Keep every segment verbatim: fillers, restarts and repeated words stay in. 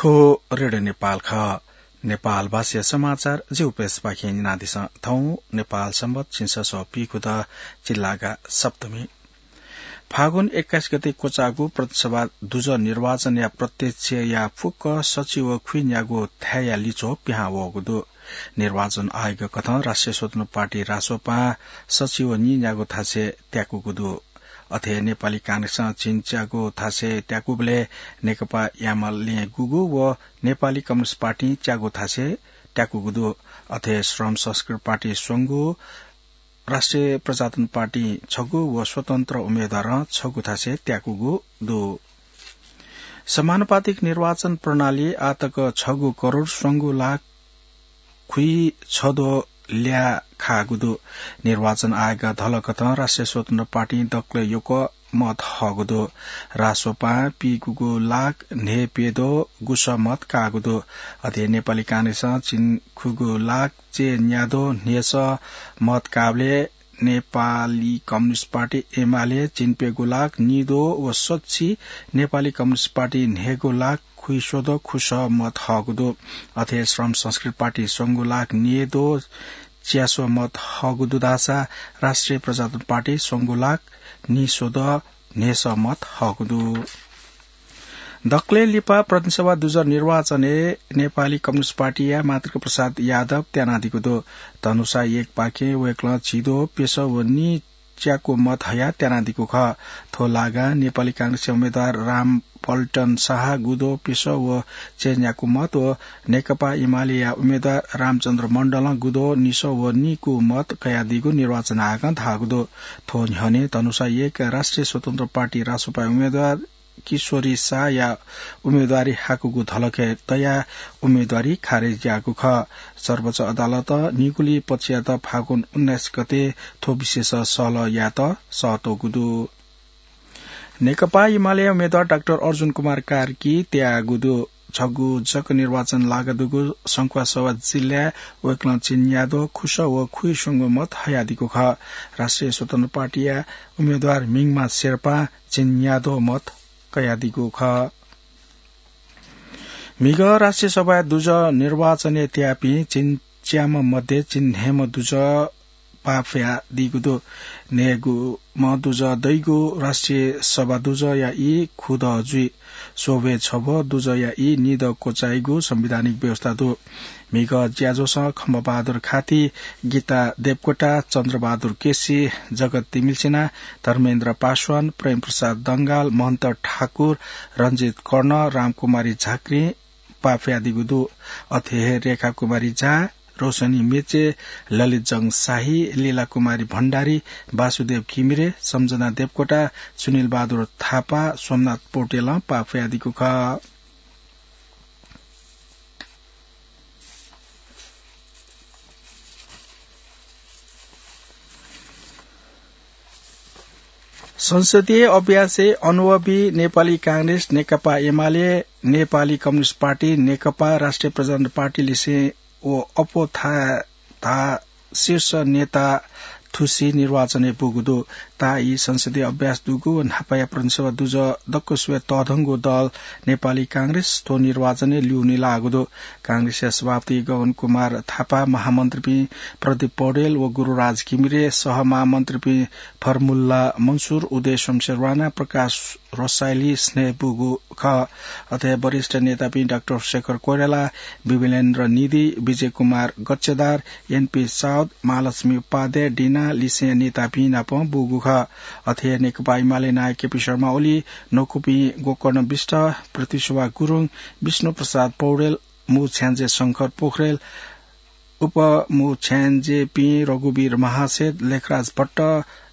थ्व रेडियो नेपाल खः। नेपाल भाषाया समाचार जिगु प्रेसपाखें न्यनादिसँ। थौं नेपाल संवत् झिंछसः पीखुदँ चिल्लागा सप्तमी। फागुन एक्काइस गते क्वचाःगु प्रतिनिधि सभा दुजः निर्वाचनया प्रत्यक्षया फुक्क सचिव खुइन्यागु थाय्‌या लिच्वः पिहां वःगु दु। निर्वाचन आयोग कथं राष्ट्रिय स्वतन्त्र पार्टी रासोपां सचिव नीन्यागु थासय् त्याकूगु दु। अथे नेपाली कांग्रेसं झिंच्यागु थासय् त्याकूबलय् नेकपा एमाले गुगु व नेपाली कम्युनिस्ट पार्टी च्यागू थासय् त्याकूगु दु। अथे श्रम संस्कृति पार्टी स्वंगू, राष्ट्रिय प्रजातन्त्र पार्टी छगू व स्वतन्त्र उम्मेदवारं छगू थासय् त्याकूगु दु। समानुपातिक निर्वाचन प्रणाली आतक छगू करोड स्वंगू लाख खुइछद्वः ल्याः खाःगु दु। निर्वाचन आयोगं धलकथं राष्ट्रिय स्वतन्त्र पार्टी दकलय् यक्व मत हःगु दु। रासोपां पीगुगु लाख न्हय्‌प्यद्वः गुसः मत काःगु दु। अथे नेपाली कांग्रेसं झिंखुगू लाख चय्‌न्याद्वः न्हय्‌सः मत काःबलय् नेपाली कम्युनिस्ट पार्टी एमाले झिंप्यगू लाख नीद्वः व स्वछि, नेपाली कम्युनिस्ट पार्टी न्हय्‌गू लाख खुइस्वद्वः खुसः मत हःगु दु। अथे श्रम संस्कृति पार्टी स्वंगू लाख नीद्वः च्यास्वः मत हःगु दु धाःसा राष्ट्रिय प्रजातन्त्र पार्टी स्वंगू लाख नीस्वद्वः न्हय्‌सः मत हःगु दु। दकलय् लिपा प्रतिनिधि सभा दुजः निर्वाचनय् नेपाली कम्युनिस्ट पार्टीया मातृका प्रसाद यादव त्यानादीगु दु। धनुषा एकपाखें वय्‌कलं झिद्वः प्यसः व नीच्याकू मत हयाः त्यानादीगु खः। थ्व लागां नेपाली कांग्रेसया उम्मेदवार रामपल्टन शाह गुद्वः प्यसः व चय्‌न्याकू मत व नेकपा एमालेया उम्मेदवार रामचन्द्र मण्डलं गुद्वः निसः व नीकू मत कयादीगु निर्वाचन आयोगं धाःगु दु। थ्व न्ह्यःने धनुषा एक राष्ट्रिय स्वतन्त्र पार्टी रासोपाया उम्मेदवार किशोरी शाहया उम्मेदवारी हाकूगु धलखय् तयाः उम्मेदवारी खारेज याःगु खः। सर्वोच्च अदालतं निगुलिं पक्षयात फागुन उन्नाइस गते थ्व विषयस सहलह यायेत सःतूगु दु। नेकपा एमालेया उम्मेदवार डाक्टर अर्जुन कुमार कार्की त्याःगु दु। छगू जक निर्वाचन लागा दुगु संखुवासभा जिल्लाय् वय्‌कलं झिंन्याद्वः खुसः व खुइस्वंगू मत हयादीगु खः। राष्ट्रिय स्वतन्त्र पार्टीया उम्मेदवार मिङमा शेर्पां झिंन्याद्वः मत कयादीगु खः। म्हिगः राष्ट्रिय सभाय् दुजः निर्वाचनय् त्याःपिं झिंच्याम्ह मध्ये झिंन्हय्‌म्ह दुजः पाफयादीगु दु। न्हय्‌गूम्ह दुजः दइगु राष्ट्रिय सभा दुजःया ई खुदँ जुइ। स्वब्वय् छब्व दुजःया ई निदँ क्वचाइगु संवैधानिक व्यवस्था दु। म्हिगः ज्याझ्वलं खम्बहादुर खाती, गीता देवकोटा, चन्द्रबहादुर केसी, जगत तिमिल्सिना, धर्मेन्द्र पासवान, प्रेमप्रसाद दंगाल, महन्त ठाकुर, रञ्जित कर्ण, रामकुमारी झाँक्री पाफयादीगु दु। अथे हे रेखा कुमारी झा, रोशनी मेचे, ललित जंग शाही, लीला कुमारी भण्डारी, वासुदेव घिमिरे, सम्झना देवकोटा, सुनिल बहादुर थापा, सोमनाथ पौडेलं पाफयादीगु खः। संसदीय अभ्यासय् अनुभवी नेपाली कांग्रेस, नेकपा एमाले, नेपाली कम्युनिस्ट पार्टी, नेकपा राष्ट्रिय प्रजातन्त्र पार्टी लिसें व अप्वः थाय् धाः शीर्ष नेता थुसी निर्वाचनय् बूगु दु। ताःई संसदीय अभ्यास दुगु व न्हापाया प्रतिनिधि सभा दुजः दक्वसिबय् तःधंगु दल नेपाली कांग्रेस थ्व निर्वाचनय् ल्यूने लाःगु दु। कांग्रेसया सभापति गगन कुमार थापा, महामन्त्रीपिं प्रदीप पौडेल व गुरुराज घिमिरे, सहमहामन्त्रीपिं फरमुल्ला मन्सुर, उदय शमशेर राणा, प्रकाश रसाइली स्नेह बूगु खः। अथे वरिष्ठ नेतापिं डाक्टर शेखर कोइराला, विमलेन्द्र निधि, विजय कुमार गच्छेदार, एनपी साउद, महालक्ष्मी उपाध्याय, डिना लिसें नेतापिं नाप बूगु खः। अथे नेकपा एमाले नायः केपी शर्मा ओली, नखुपिं गोकर्ण बिष्ट, पृथ्वीशोभा गुरुङ, विष्णु प्रसाद पौडेल, मू छ्याञ्जे शंकर पोखरेल, उपमू छ्याञ्जेपिं रघुवीर महासेठ, लेखराज भट्ट,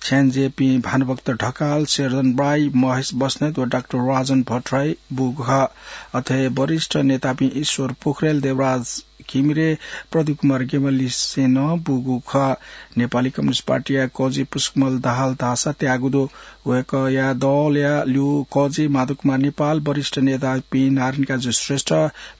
छ्याञ्जेपिं भानुभक्त ढकाल, शेरजन राई, महेश बस्नेत व डाक्टर राजन भट्टराई बूगु खः। अथे वरिष्ठ नेतापिं ईश्वर पोखरेल, देवराज घिमिरे प्रदीप कुमार गेवालीसें नं बूगु खः। नेपाली कम्युनिस्ट पार्टीया कजि पुष्पकमल दाहाल धाःसा त्याःगु दु। वय्कःया दलया ल्यू कजि माधव कुमार नेपाल, वरिष्ठ नेतापिं नारायण काजी श्रेष्ठ,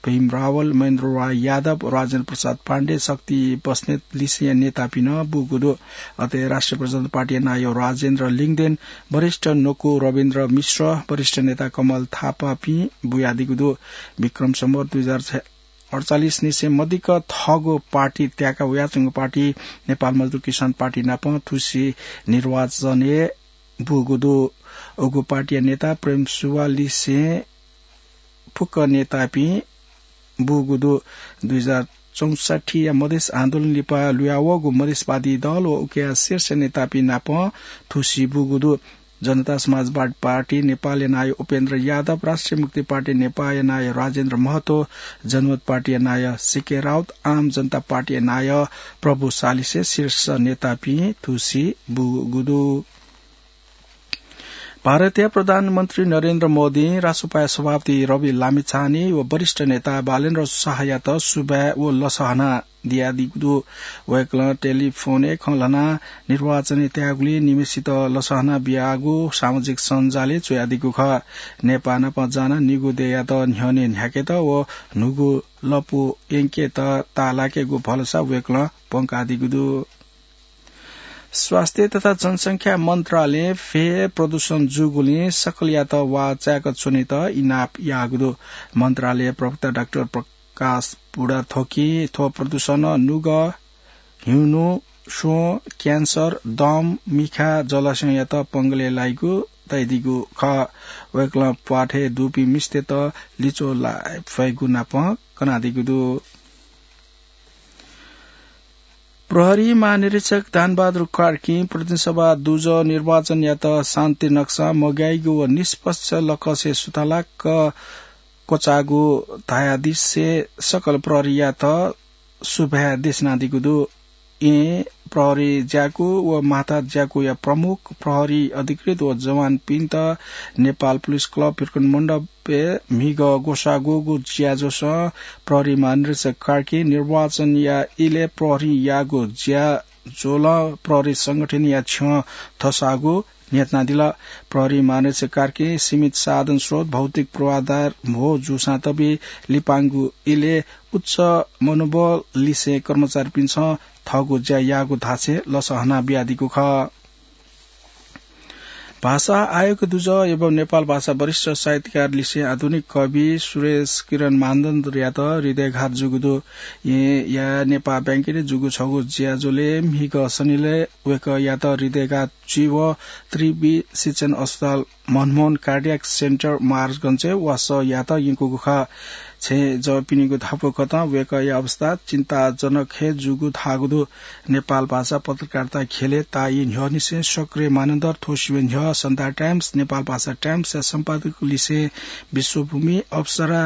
भीम रावल, महेन्द्र राय यादव, राजेन्द्र प्रसाद पाण्डे, शक्ति बस्नेत लिसेंया नेतापिं नं बूगु दु। अथे राष्ट्रिय प्रजातन्त्र पार्टीया नायः राजेन्द्र लिङदेन, वरिष्ठ नकु रविन्द्र मिश्र, वरिष्ठ नेता कमल थापापिं बुयादीगु दु। विक्रम सम्वत दुई हजार अडचालिस निसें मदिक्क थःगु पार्टी त्याका वयाच्वंगु पार्टी नेपाल मजदुर किसान पार्टी नाप थुसी निर्वाचनय् बूगु दु। उगु पार्टीया नेता प्रेम सुवाल लिसें फुक्क नेतापिं बूगु दु। दुई हजार चौसठ्ठीया मधेस आन्दोलन लिपा लुयावःगु मधेसवादी दल व उकिया शीर्ष नेतापिं नाप थुसी बूगु दु। जनता समाजवादी पार्टी नेपालया नायः उपेन्द्र यादव, राष्ट्रिय मुक्ति पार्टी नेपालया नायः राजेन्द्र महतो, जनमत पार्टीया नायः सीके राउत, आम जनता पार्टीया नायः प्रभु शाह लिसें शीर्ष नेतापिं थुसी बूगु दु। भारतया प्रधानमन्त्री नरेन्द्र मोदीं राष्ट्रपा सभापति रवि लामिछाने व वरिष्ठ नेता बालेन्द्र शाहयात सुभाय् व लसहना दियादीगु दु। वय्कलं टेलिफोनय् खँ ल्हानाः निर्वाचनय् त्याःगुलिं निम्हसित लसहना बियागु सामाजिक सञ्जालय् च्वयादीगु खः। नेपाः नाप जानाः निगू देय्‌यात न्ह्यःने न्ह्याकेत व न्हूगु लँपु यंकेत ताःलाकेगु भलसा वय्कलं प्वंकादीगु दु। स्वास्थ्य तथा जनसंख्या मन्त्रालयं फय् प्रदूषण जूगुलिं सकलयात वाःचाय्‌क च्वनेत इनाप याःगु दु। मन्त्रालय प्रवक्ता डाक्टर प्रकाश बुढाथोकीं थ्व प्रदूषणं नुगः, ह्युनु, स्व, क्यान्सर, दम, मिखा, जलाशययात पंगलय् लाइगु धयादीगु खः। वय्कलं प्वाथय् दुपिं मिस्तय्त लिच्वः लाये फयेगु नाप कनादीगु दु। प्रहरी महानिरीक्षक दानबहादुर कार्कीं प्रतिनिधि सभा दुजः निर्वाचनयात शान्ति नक्सा मग्याइगु व निष्पक्ष लकसय् सुथालाक क्वचाःगु धयादिसे सकल प्रहरीयात सुभाय् देछानादीगु दु। येँ प्रहरी ज्याकू व माता ज्याकूया प्रमुख, प्रहरी अधिकृत व जवानपिन्त नेपाल पुलिस क्लब भिरकुन मण्डपय् म्हिगः ग्वसाः ग्वःगु ज्याझ्वलय् प्रहरी महानिरीक्षक कार्कीं निर्वाचनया इलय् प्रहरीयागु ज्याझ्वलं प्रहरी संगठनया छ्यं थस्वाःगु न्ह्यथनादिल। प्रहरी महानिरीक्षक कार्कीं सीमित साधन स्रोत, भौतिक पूर्वाधार म्हो जूसां तबि लिपांगु इलय् उच्च मनोबल लिसें कर्मचारीपिन्सं थःगु ज्या याःगु धासें लसहना बियादीगु खः। भाषा आयोग दुजः एवं नेपाल भाषा वरिष्ठ साहित्यकार लिसें आधुनिक कवि सुरेश किरण मानन्धरयात हृदयघात जूगु दु। येँया नेपाः बैंकय् जूगु छगू ज्याझ्वलय् म्हिगः शनिलय् वय्कःयात हृदयघात जुइवं त्रिवि शिक्षण अस्पताल मनमोहन कार्डियाक सेन्टर महाराजगंजय् वासः यायेत यंकूगु खः। छेँजःपिनिगु धापू कथं वय्कःया अवस्था चिन्ताजनक हे जूगु धाःगु दु। नेपाल भाषा पत्रकारिता ख्यलय् ताःई न्ह्यःनिसें सक्रिय मानन्धर थ्व सिबें न्ह्यः सन्ध्या टाइम्स, नेपाल भाषा टाइम्सया सम्पादक लिसें विश्वभूमि, अप्सरा,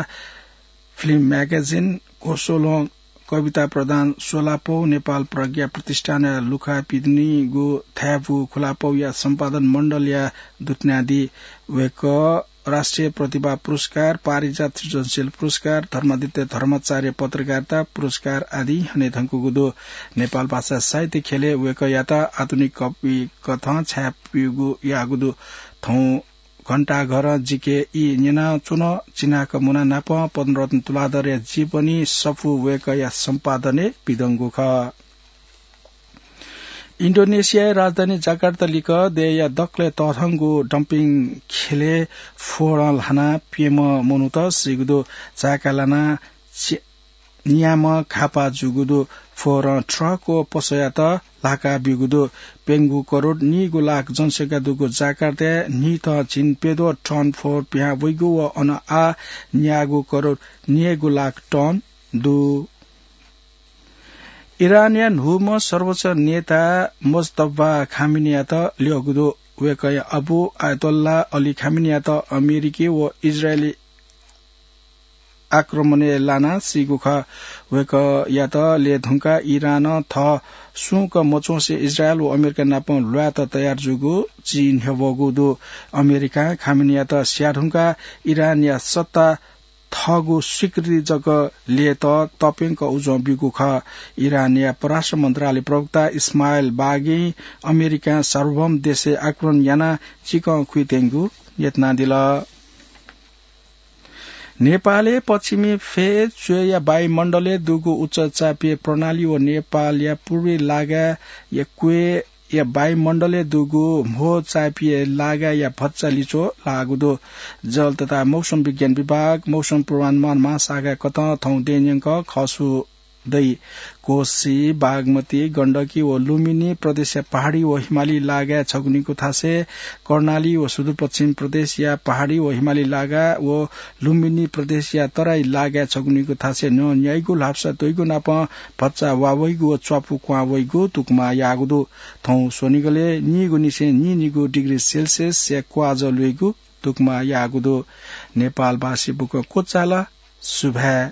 फिल्म म्यागजिन, कोसोलं कविता प्रधान स्वलापौ, नेपाल प्रज्ञा प्रतिष्ठानया लुखा पिदनीगु थाय्‌पु खुलापौया सम्पादन मण्डलया दुथ्यानादी। वय्कः राष्ट्रिय प्रतिभा पुरस्कार, पारिजात सृजनशील पुरस्कार, धर्मादित्य धर्माचार्य पत्रकारिता पुरस्कार आदि हनेधंकूगु दु। नेपाल भाषा साहित्य ख्यलय् वय्कःयात आधुनिक कवि कथं छाय्‌पीगु याःगु दु। थौं घण्टाघरं जिके ई न्यनाच्वन, चिनाक मुना नाप पद्मरत्न तुलाधरया जीवनी सफू वय्कःया सम्पादनय् पिदंगु खः। इन्डोनेसियाया राजधानी जाकार्ता लिक्क देय्‌या दकलय् तःधंगु डम्पिङ ख्यलय् फोहोरं ल्हानाः प्यम्ह मनूत सीगु दु। झाय्‌का लानाः छि-, न्याम्ह घाःपाः जूगु दु। फोहोरं ट्रक व पसःयात ल्हाका ब्यूगु दु। प्यंगू करोड नीगू लाख जनसंख्या दुगु जाकार्ताय् न्हिथं झिंप्यद्वः टन फोहोर पिहां वइगु व अन आः न्यागू करोड नीगू लाख टन दु। इरानया न्हूम्ह सर्वोच्च नेता मोजतबा खामेनीयात ल्यःगु दु। वय्कःया अबु आयतोल्ला अली खामेनीयात अमेरिकी व इजरायली आक्रमणय् लानाः सीगु खः। वय्कःयात ल्यये धुंकाः इरानं थः सुं कं मच्वंसे इजरायल व अमेरिका नाप ल्वायेत तयार जूगु चिं न्ह्यब्वःगु दु। अमेरिकां खामेनीयात स्याये धुंकाः इरानया सत्ता थःगु स्वीकृति जक ल्ययेत तप्यंक उजं ब्यूगु खः। इरानया परराष्ट्र मन्त्रालय प्रवक्ता इस्माइल बागीं अमेरिकां सार्वभौम देशय् आक्रमण यानाः चिकं खुइत्यंगु न्यतनादिल। नेपालय् पश्चिमी फय् च्वय्‌या वायुमण्डलय् दुगु उच्च चापीय प्रणाली व नेपालया पूर्वी लागाया क्वय्‌या वायुमण्डलय् दुगु म्हो चापीय लागाया भचा लिच्वः लाःगु दु। जल तथा मौसम विज्ञान विभाग, मौसम पूर्वानुमान महाशाखा कथं थौं दँय्‌न्यंक खसु दइ। कोशी, बागमती, गण्डकी व लुम्बिनी प्रदेशया पहाडी व हिमाली लागाय् छगुनीगु थासय्, कर्णाली व सुदूरपश्चिम प्रदेशया पहाडी व हिमाली लागा व लुम्बिनी प्रदेशया तराई लागाय् छगुनीगु थासय् न्हं न्याइगु ल्हापसा तइगु नापं भचा वा वइगु व च्वापु क्वहां वइगु तुकमा याःगु दु। थौं स्वनिगलय् नीगु निसें नीनिगु डिग्री सेल्सियसया क्वाःजः ल्वइगु तुकमा याःगु दु। नेपालवासी बुकं क्वचाल। सुभाय्।